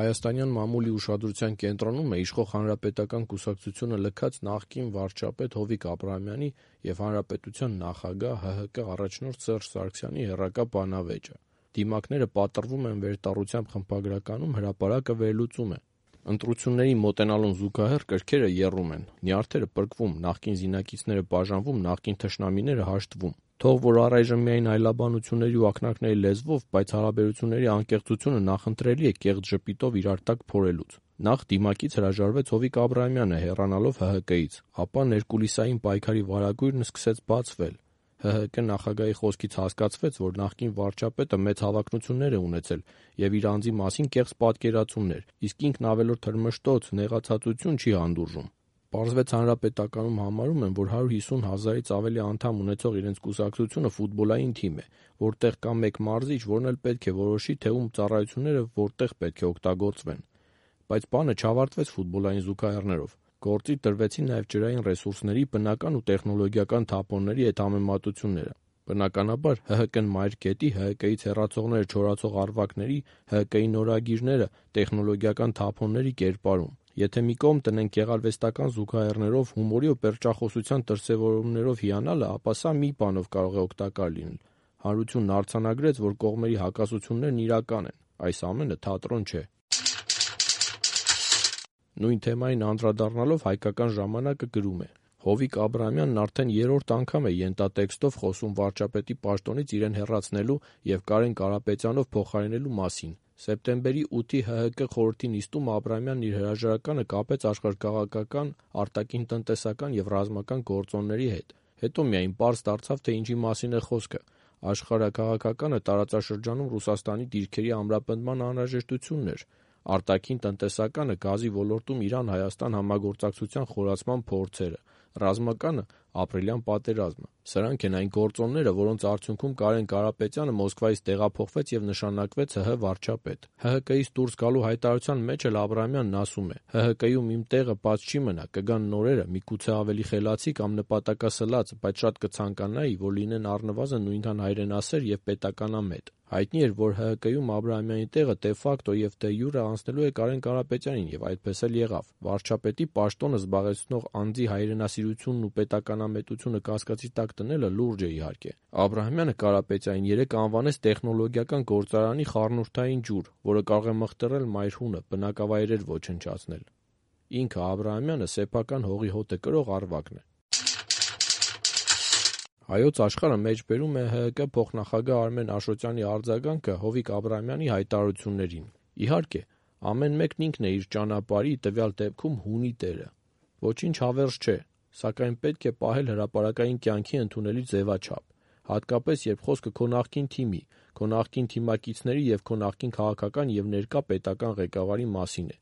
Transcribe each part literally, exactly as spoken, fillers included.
Հայաստանյան մամուլի ուշադրության կենտրոնում է իշխող Հանրապետական կուսակցությունը լքած նախկին վարչապետ Հովիկ Աբրահամյանի և Հանրապետության նախագահ ՀՀԿ առաջնորդ Սերժ Սարգսյանի եռակա բանավեճը։ Դիմակները պատռվում են վերտառությամբ խմբագրականում, հրապարակը վերլուծում է։ Ընտրություններին մոտենալուն զուգահեռ կրքերը եռում են, նյարդերը պրկվում, նախկին զինակիցները բաժանվում, նախկին թշնամիները հաշտվում։ Թող որ առայժմ միայն այլաբանությունների ու ակնարկների լեզվով, բայց հարաբերությունների անկեղծությունը նախընտրելի է կեղծ ժպիտով իրար տակ փորելուց։ Նախ դիմակից հրաժարվեց Հովիկ Աբրահամյանը հեռանալով ՀՀԿ-ից, ապա ներկուլիսային պայքարի վարագույրն սկսեց բացվել։ ՀՀԿ նախագահի խոսքից հասկացվեց, որ նախկին վարչապետը մեծ հավակնություններ է ունեցել և իր անձի մասին կեղծ պատկերացումներ, իսկ ինքն ավելորդ հրմշտոց, նեղացածություն չի հանդուրժում։ Պարզվեց Հանրապետականում համարում են, որ հարյուր հիսուն հազարից ավելի անդամ ունեցող իրենց կուսակցությունը ֆուտբոլային թիմ է, որտեղ կա մեկ մարզիչ, որն էլ պետք է որոշի, թե ում ծառայությունները որտեղ պետք է օգտագործվեն։ Բայց բանը չավարտվեց ֆուտբոլային զուգահեռներով։ Գործի տրվեցին նաև ջրային ռեսուրսների, բնական ու տեխնոլոգիական թափոնների հետ համեմատությունները։ Բնականաբար ՀՀԿ-ն մայր կետի, ՀՀԿ-ից հեռացողները չորացող առվակների, ՀՀԿ-ի նորագիրները տեխնոլոգիական թափոնների կերպարում։ Եթե մի կողմ տնենք գեղարվեստական զուգահեռներով, հումորի ու պերճախոսության դրսևորումներով հիանալը, ապա սա մի բանով կարող է օգտակար լինել։ Հանրությունն արձանագրեց, որ կողմերի հակասություններն իրական են, այս ամենը թատրոն չէ։ Նույն թեմային անդրադառնալով «Հայկական ժամանակ»-ը գրում է. Հովիկ Աբրահամյանն արդեն երրորդ անգամ է ենթատեքստով խոսում վարչապետի պաշտոնից իրեն հեռացնելու և Կարեն Կարապետյանով փոխարինելու մասին։ Սեպտեմբերի ութի ՀՀԿ խորհրդի նիստում Աբրահամյանն իր հրաժարականը կապեց աշխարհաքաղաքական, արտաքին-տնտեսական և ռազմական գործոնների հետ։ Հետո միայն պարզ դարձավ, թե ինչի մասին է խոսքը։ Աշխարհաքաղաքականը տարածաշրջանում Ռուսաստանի դիրքերի ամրապնդման անհրաժեշտությունն էր, արտաքին-տնտեսականը գազի ոլորտում Իրան-Հայաստան համագործակցության խորացման փորձերը, ռազմականը ապրիլյան պատերազմը։ Սրանք են այն գործոնները, որոնց արդյունքում Կարեն Կարապետյանը Մոսկվայից տեղափոխվեց և նշանակվեց ՀՀ վարչապետ։ ՀՀԿ-ից դուրս գալու հայտարարության մեջ էլ Աբրահամյանն ասում է. «ՀՀԿ-ում իմ տեղը բաց չի մնա, կգան նորերը, միգուցե ավելի խելացի կամ նպատակասլաց, բայց շատ կցանկանայի, որ լինեն առնվազն նույնքան հայրենասեր և պետականամետ»։ Հայտնի էր, որ ՀՀԿ-ում Աբրահամյանի տեղը դե ֆակտո և դե յուրե անցնելու է Կարեն Կարապետյանին, և այդպես էլ եղավ։ Վարչապետի պաշտոնը զբաղեցնող անձի հայրենասիրությունն ու պետականամետությունը կասկածի տակ դնելը լուրջ է իհարկե։ Աբրահամյանը Կարապետյանին երեկ անվանեց տեխնոլոգիական գործարանի խառնուրդային ջուր, որը կարող է մղթռել մայրհունը, բնակավայրեր ոչնչացնել։ Ինքը Աբրահամյանը սեփական հողի հոտը կրող առվակն է։ Հայոց Աշխարհը մեջբերում է ՀՀԿ փոխնախագահ Արմեն Աշոտյանի արձագանքը Հովիկ Աբրահամյանի հայտարարություններին։ Իհարկե, ամեն մեկն ինքն է իր ճանապարհի, տվյալ դեպքում հունի տերը։ Ոչինչ հավերժ չէ, սակայն պետք է պահել հրապարակային կյանքի ընդունելի ձևաչափ, հատկապես երբ խոսքը քո նախկին թիմի, քո նախկին թիմակիցների և քո նախկին քաղաքական և ներկա պետական ղեկավարի մասին է։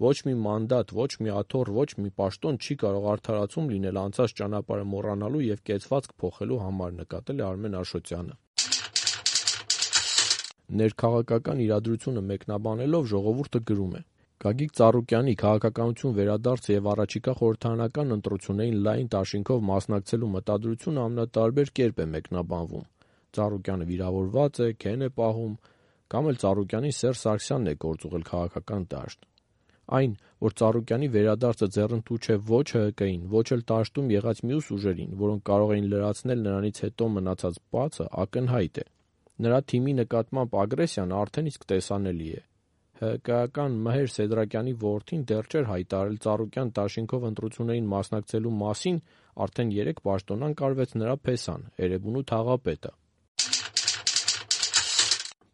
Ոչ մի մանդատ, ոչ մի աթոռ, ոչ մի պաշտոն չի կարող արդարացում լինել անցած ճանապարհը մոռանալու և կեցվածք փոխելու համար, նկատել է Արմեն Աշոտյանը։ Ներքաղաքական իրադրությունը մեկնաբանելով ժողովուրդը գրում է. Գագիկ Ծառուկյանի քաղաքականություն վերադարձը և առաջիկա խորհրդարանական ընտրություններին լայն դաշինքով մասնակցելու մտադրությունը ամենատարբեր կերպ է մեկնաբանվում։ Ծառուկյանը վիրավորված է, քեն է պահում, կամ էլ Ծառուկյանին Սերժ Սարգսյանն է գործուղել քաղաքական դաշտ։ Այն, որ Ծառուկյանի վերադարձը ձեռնտու չէ ոչ ՀՀԿ-ին, ոչ էլ դաշտում եղած մյուս ուժերին, որոնք կարող էին լրացնել նրանից հետո մնացած բացը, ակնհայտ է։ Նրա թիմի նկատմամբ ագրեսիան արդեն իսկ տեսանելի է։ ՀՀԿ-ական Մհեր Սեդրակյանի որդին դեռ չէր հայտարարել Ծառուկյան դաշինքով ընտրություններին մասնակցելու մասին, արդեն երեկ պաշտոնանկ արվեց նրա փեսան՝ Էրեբունու թաղապետը։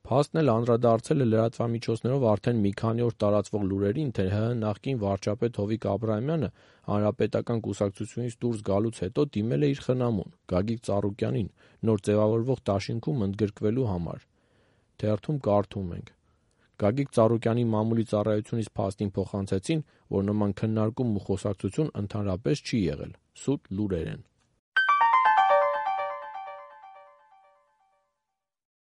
Փաստն էլ անդրադարձել է լրատվամիջոցներով արդեն մի քանի օր տարածվող լուրերին, թե ՀՀ նախկին վարչապետ Հովիկ Աբրահամյանը Հանրապետական կուսակցությունից դուրս գալուց հետո դիմել է իր խնամուն՝ Գագիկ Ծառուկյանին, նոր ձևավորվող դաշինքում ընդգրկվելու համար։ Թերթում կարդում ենք. Գագիկ Ծառուկյանի մամուլի ծառայությունից փաստին փոխանցեցին, որ նման քննարկում ու խոսակցություն ընդհանրապես չի եղել։ Սուտ լուրեր են։